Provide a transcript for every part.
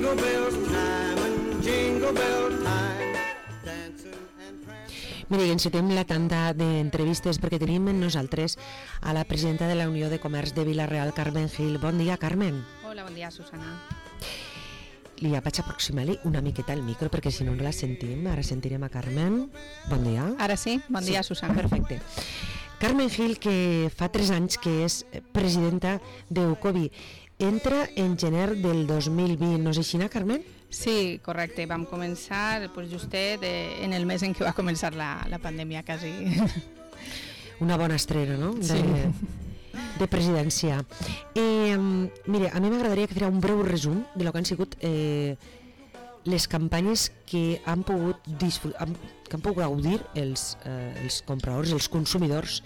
Jingle bell time and jingle bell time, dancing and prancing. Mira, i encetem la tanda d'entrevistes perquè tenim amb nosaltres a la presidenta de la Unió de Comerç de Vila-real, Carmen Gil. Bon dia, Carmen. Hola, bon dia, Susana. Li vaig aproximar-li una miqueta el micro perquè si no la sentim. Ara sentirem a Carmen. Bon dia. Ara sí? Bon dia, Susana. Perfecte. Carmen Gil, que fa 3 anys que és presidenta d'Eucovi, entra en gener del 2020, no és així, Carmen? Sí, correcte. Vam començar justet en el mes en què va començar la pandèmia, quasi. Una bona estrena, no? De presidència. Mira, a mi m'agradaria que fera un breu resum de lo que han sigut les campanyes que han pogut gaudir els compradors, els consumidors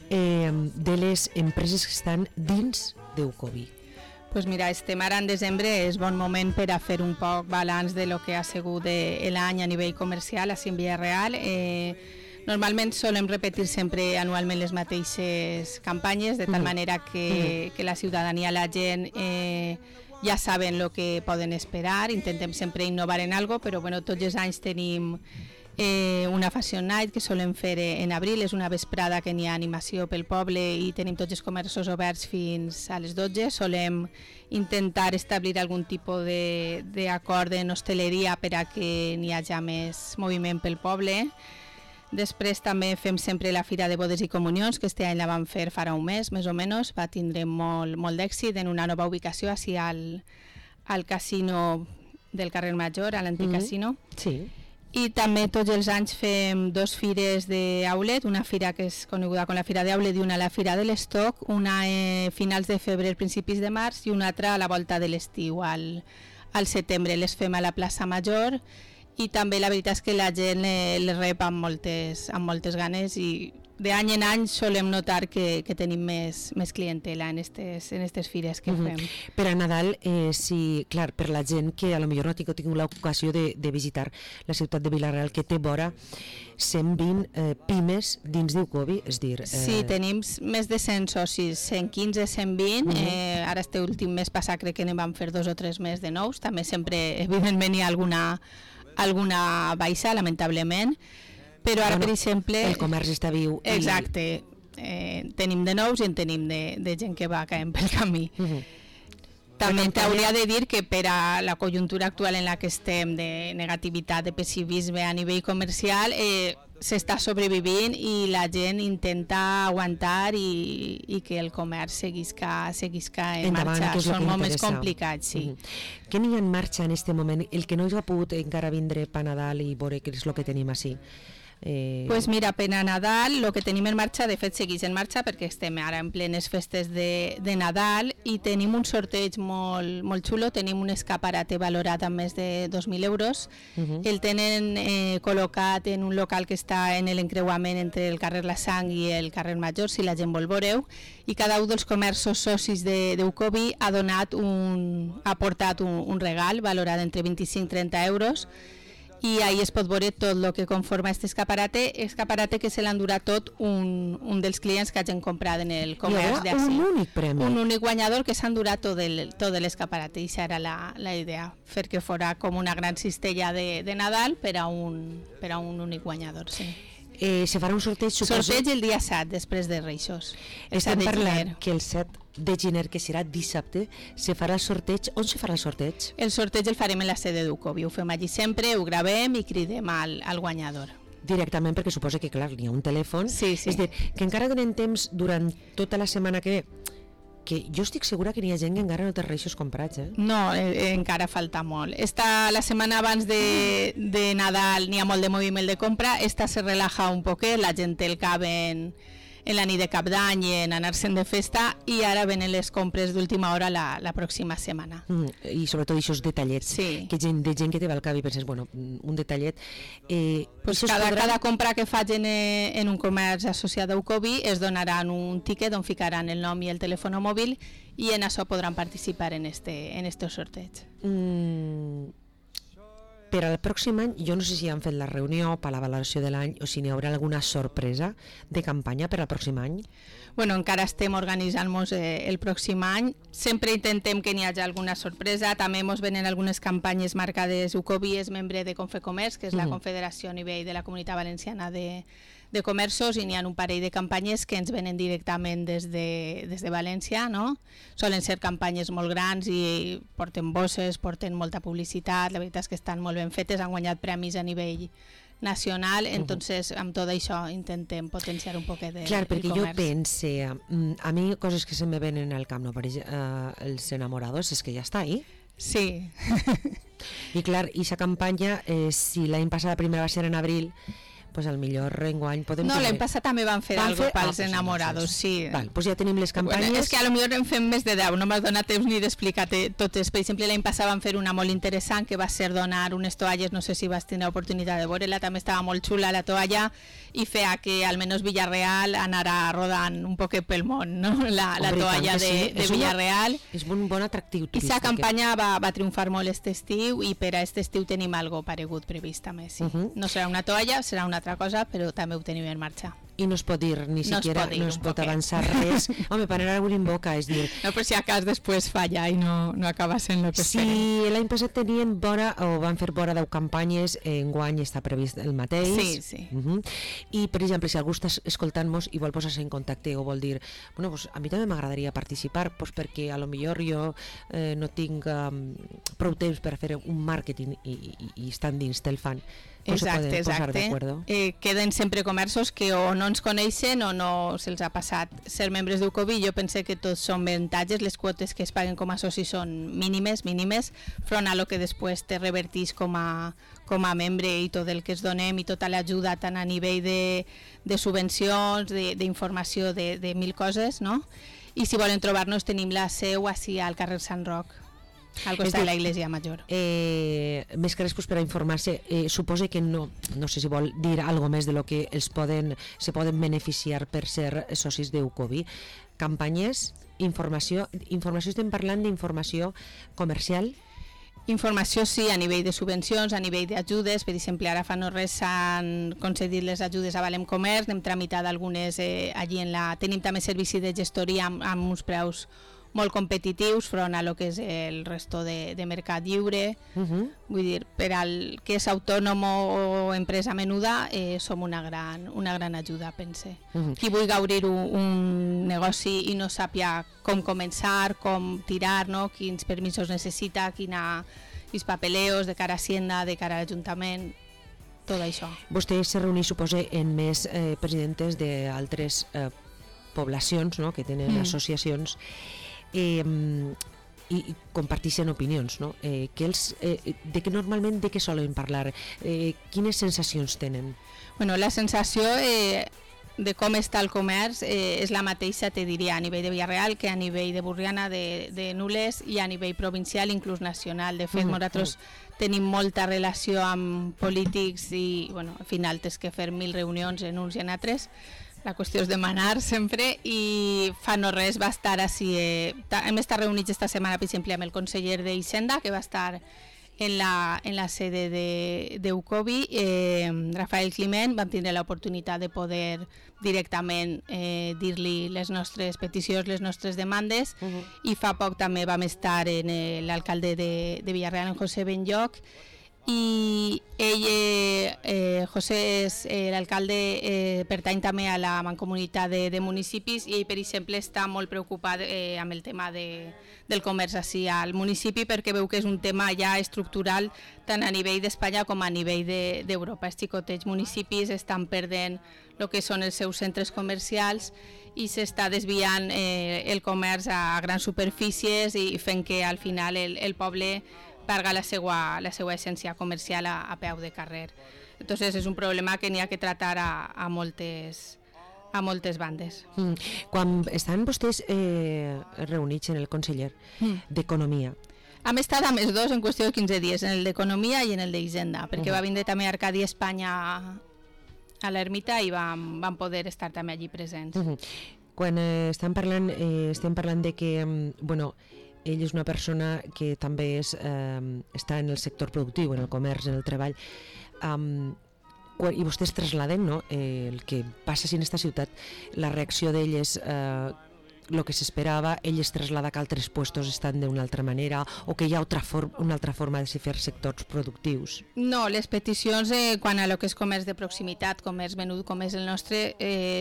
de les empreses que estan dins d'Eucovi. Pues mira, estem ara en desembre, és bon moment per a fer un poc balanç de lo que ha sigut l'any a nivell comercial així en Vila-real. Normalment solem repetir sempre anualment les mateixes campanyes, de tal manera que la ciutadania, la gent, ja saben el que poden esperar. Intentem sempre innovar en algo, però bueno, tots els anys tenim una Fashion Night que solem fer en abril, és una vesprada que n'hi ha animació pel poble i tenim tots els comerços oberts fins a les 12. Solem intentar establir algun tipus d'acord en hostaleria per a que n'hi hagi més moviment pel poble. Després també fem sempre la Fira de Bodes i Comunions, que este any la vam fer farà un mes, més o menys, va tindre molt d'èxit en una nova ubicació, així al casino del carrer Major, a l'antic casino. Sí. I també tots els anys fem 2 fires d'Aulet, una fira que és coneguda com la Fira d'Aulet i una la Fira de l'Estoc, una a finals de febrer, principis de març, i una altra a la volta de l'estiu, al setembre. Les fem a la plaça Major i també la veritat és que la gent les rep amb moltes ganes i d'any en any solem notar que tenim més clientela en aquestes fires que fem. Per a Nadal, clar, per la gent que a lo millor no ha tingut l'ocasió de visitar la ciutat de Vila-real, que té vora 120 pimes dins d'Eucovi, és dir... Sí, tenim més de 100 socis, 115, 120, ara este últim mes passat crec que ne vam fer 2 o 3 més de nous, també sempre, evidentment, hi ha alguna baixa, lamentablement, però ara, per exemple... El comerç està viu. Exacte. Tenim de nous i en tenim de gent que va caient pel camí. També t'hauria de dir que per a la conjuntura actual en la que estem, de negativitat, de pessimisme a nivell comercial, s'està sobrevivint i la gent intenta aguantar i que el comerç seguisca en marxa. Són moments complicats, sí. Què n'hi ha en marxa en aquest moment? El que no ha pogut encara vindre per Nadal i veure què és el que tenim així. Pues mira, per a Nadal el que tenim en marxa, de fet segueix en marxa perquè estem ara en plenes festes de Nadal i tenim un sorteig molt xulo, tenim un escaparate valorat amb més de 2.000 euros. El tenen col·locat en un local que està en l'encreuament entre el carrer La Sang i el carrer Major, si la gent vol veure-ho, i cada un dels comerços socis d'Eucovi ha portat un regal valorat entre 25 i 30 euros i ahí es pot veure tot el que conforma aquest escaparate que se l'han durat tot un dels clients que hagin comprat en el comerç d'ací. Un únic premi. Un únic guanyador que s'han durat tot l'escaparate i això era la idea, fer que fora com una gran cistella de Nadal per a un únic guanyador, sí. Se farà un sorteig, suposo... Sorteig el dia 7, després de Reixos. Estem parlant que el 7 de gener, que serà dissabte, se farà el sorteig. On se farà el sorteig? El sorteig el farem en la sede d'Eucovi. Ho fem allí sempre, ho gravem i cridem al guanyador. Directament, perquè suposa que, clar, n'hi ha un telèfon. Sí. És dir, que encara donen temps durant tota la setmana que jo estic segura que n'hi ha gent que encara no té reixos comprats, No, encara falta molt. La setmana abans de Nadal n'hi ha molt de moviment de compra, esta se relaja un poquet, la gent té el cap en la nit de Cap d'Any i en anar-se'n de festa i ara venen les compres d'última hora la pròxima setmana. I sobretot aquests detallets, que de gent que té al cap i penses, bueno, un detallet... Cada compra que facin en un comerç associat a Eucovi es donaran un tiquet on ficaran el nom i el telèfon mòbil i en això podran participar en este sorteig. Per al pròxim any, jo no sé si han fet la reunió per la valoració de l'any o si n'hi haurà alguna sorpresa de campanya per al pròxim any. Bueno, encara estem organitzant-nos el pròxim any. Sempre intentem que n'hi hagi alguna sorpresa. També ens venen algunes campanyes marcades. UCOBI és membre de Confecomerç, que és la confederació a nivell de la Comunitat Valenciana de comerços, i n'hi ha un parell de campanyes que ens venen directament des de València, no? Solen ser campanyes molt grans i porten bosses, porten molta publicitat, la veritat és que estan molt ben fetes, han guanyat premis a nivell nacional, entonces amb tot això intentem potenciar un poquet de Clar, perquè jo comerç. pense, a mi coses que se me venen al cap, no? Per exemple, els enamorados, és que ja està ahí. Sí. I clar, i esa campanya, si l'any passat la primera va ser en abril, pues al millor enguany podem... No, l'any passat també van fer algo pels pues enamorados, sí. Val, pues ja tenim les campanyes. Bueno, és que a lo millor en fem més de 10, no m'has donat temps ni d'explicar totes. Per exemple, l'any passat van fer una molt interessant, que va ser donar unes toalles, no sé si vas tenir l'oportunitat de veure-la, també estava molt xula la toalla, i feia que almenys Villarreal anara rodant un poquet pel món, no? La toalla de Villarreal. És un bon atractiu turístic. I la campanya va triomfar molt aquest estiu, i per a aquest estiu tenim algo paregut previst també, sí. No serà una toalla, serà una altra cosa, però també ho tenim en marxa. I no es pot dir, ni siquiera no es pot avançar res. Home, per anar algú en boca, és dir... No, per si a cas després falla i no acaba sent el que esperem. Si l'any passat tenien vora, o van fer vora 10 campanyes, enguany està previst el mateix. Sí, sí. I, per exemple, si algú està escoltant-nos i vol posar-se en contacte o vol dir, bueno, pues a mi també m'agradaria participar, pues perquè a lo millor jo no tinc prou temps per fer un màrqueting i estan dins del fan. Exacte. Queden sempre comerços que o no ens coneixen o no se'ls ha passat ser membres d'UCOBI. Jo pense que tots són avantatges, les quotes que es paguen com a socis són mínimes, front a lo que després te revertís com a membre, i tot el que es donem i tota l'ajuda tant a nivell de subvencions, d'informació, de mil coses, no? I si volen trobar-nos tenim la seu així al carrer Sant Roc, al costat de la Iglesia Major. Més que res per a informar-se, suposo que no sé si vol dir alguna més de lo que se poden beneficiar per ser socis d'UCOBI. Campanyes, informació estem parlant d'informació comercial? Informació sí, a nivell de subvencions, a nivell d'ajudes. Per exemple, ara fa no res s'han concedit les ajudes a Valem Comerç, n'hem tramitat algunes allí tenim també servici de gestoria amb uns preus molt competitius front a lo que és el resto de mercat lliure. Vull dir, per al que és autònom o empresa menuda, som una gran ajuda, pense. Qui vulgui obrir un negoci i no sàpia com començar, com tirar, no? Quins permisos necessita, quins papeleos de cara a Hacienda, de cara a l'Ajuntament, tot això. Vostè se reuneix, suposa, en més presidentes d'altres poblacions, no?, que tenen associacions, i comparteixen opinions, no? Normalment de què solen parlar? Quines sensacions tenen? Bueno, la sensació de com està el comerç és la mateixa, te diria, a nivell de Villarreal que a nivell de Burriana, de Nules, i a nivell provincial, inclús nacional. De fet, nosaltres tenim molta relació amb polítics i, bueno, al final tens que fer 1000 reunions en uns i en altres. La qüestió és demanar sempre, i fa no res va estar així. Hem estat reunits esta setmana, per exemple, amb el conseller d'Hisenda, que va estar en la sede d'UCOBI, Rafael Climent. Vam tindre l'oportunitat de poder directament dir-li les nostres peticions, les nostres demandes, i fa poc també vam estar en l'alcalde de Villarreal, en José Benlloch, i ell, José, l'alcalde, pertany també a la mancomunitat de municipis, i ell, per exemple, està molt preocupat amb el tema del comerç així al municipi, perquè veu que és un tema ja estructural tant a nivell d'Espanya com a nivell d'Europa. Els xicotets municipis estan perdent el que són els seus centres comercials i s'està desviant el comerç a grans superfícies i fent que al final el poble perga la seva essència comercial a peu de carrer. Entonces és un problema que n'hi ha que tratar a moltes bandes. Quan estan vostès reunits en el conseller d'Economia, hem estat amb els dos en qüestió de 15 dies, en el d'Economia i en el d'Hisenda, perquè va vindre també Arcadi Espanya a l'ermita i vam poder estar també allí presents. Quan estem parlant de que, bueno, ell és una persona que també està en el sector productiu, en el comerç, en el treball. i vostès traslladen, no? El que passa si en aquesta ciutat la reacció d'ell és el que s'esperava, ell es trasllada que altres puestos estan d'una altra manera o que hi ha una altra forma de fer sectors productius. No, les peticions quan a lo que és comerç de proximitat, comerç menut, com és el nostre,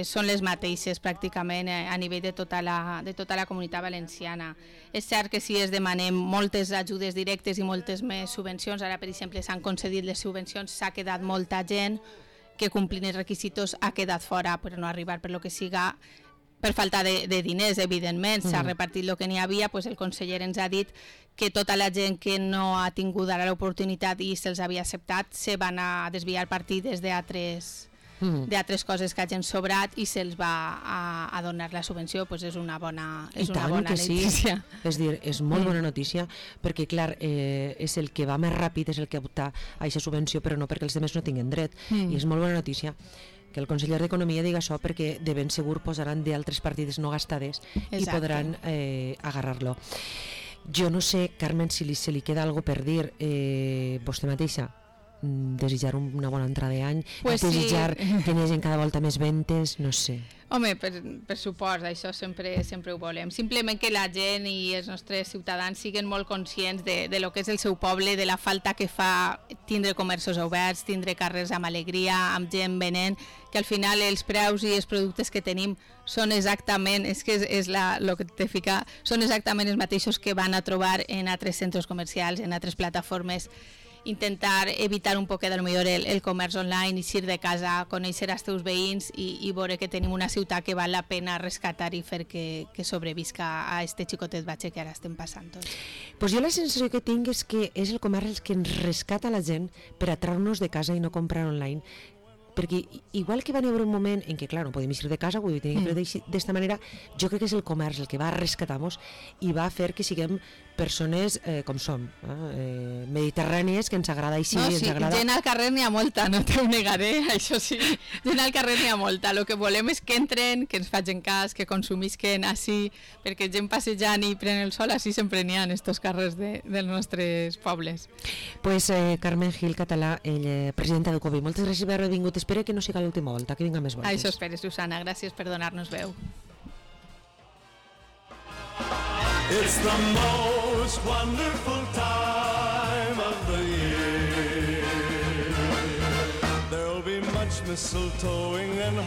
són les mateixes pràcticament a nivell de tota la comunitat valenciana. És cert que si es demanem moltes ajudes directes i moltes més subvencions, ara per exemple s'han concedit les subvencions, s'ha quedat molta gent que complint els requisitos ha quedat fora per no arribar per lo que siga, per falta de diners, evidentment, s'ha repartit el que n'hi havia, doncs el conseller ens ha dit que tota la gent que no ha tingut ara l'oportunitat i se'ls havia acceptat se van a desviar partides d'altres coses que hagin sobrat i se'ls va a donar la subvenció, doncs és una bona notícia. És dir, és molt bona notícia perquè, clar, és el que va més ràpid, és el que opta a aquesta subvenció, però no perquè els altres no tinguin dret. I és molt bona notícia que el conseller d'Economia diga això perquè de ben segur posaran d'altres partides no gastades i podran agarrar-lo. Jo no sé, Carmen, si se li queda alguna per dir vostè mateixa, desitjar una bona entrada d'any, desitjar que hi hagi cada volta més ventes, no sé. Home, per supost, això sempre ho volem. Simplement que la gent i els nostres ciutadans siguin molt conscients de lo que és el seu poble, de la falta que fa tindre comerços oberts, tindre carrers amb alegria, amb gent venent, que al final els preus i els productes que tenim són exactament, lo que te fica, són exactament els mateixos que van a trobar en altres centres comercials, en altres plataformes. Intentar evitar un poquet el comerç online, eixir de casa, conèixer els teus veïns i veure que tenim una ciutat que val la pena rescatar i fer que sobrevisca a este xicotet batxe que ara estem passant tots. Pues jo la sensació que tinc és que és el comerç el que ens rescata la gent per a treure-nos de casa i no comprar online, perquè igual que va haver un moment en què, clar, no podem eixir de casa, vull dir, tenim que fer d'esta manera, jo crec que és el comerç el que va rescatar-nos i va fer que siguem persones com som, mediterrànies, que ens agrada així, ens agrada... Gent al carrer n'hi ha molta, no t'ho negaré, això sí, gent al carrer n'hi ha molta, el que volem és que entren, que ens facin cas, que consumisquen així, perquè gent passejant i pren el sol, així sempre n'hi ha en estos carrers dels nostres pobles. Pues Carmen Gil Català, presidenta de COVI, moltes gràcies per haver vingut, espero que no siga l'última volta, que vinga més voltes. Això espero, Susana, gràcies per donar-nos veu. It's the most wonderful time of the year. There'll be much mistletoeing and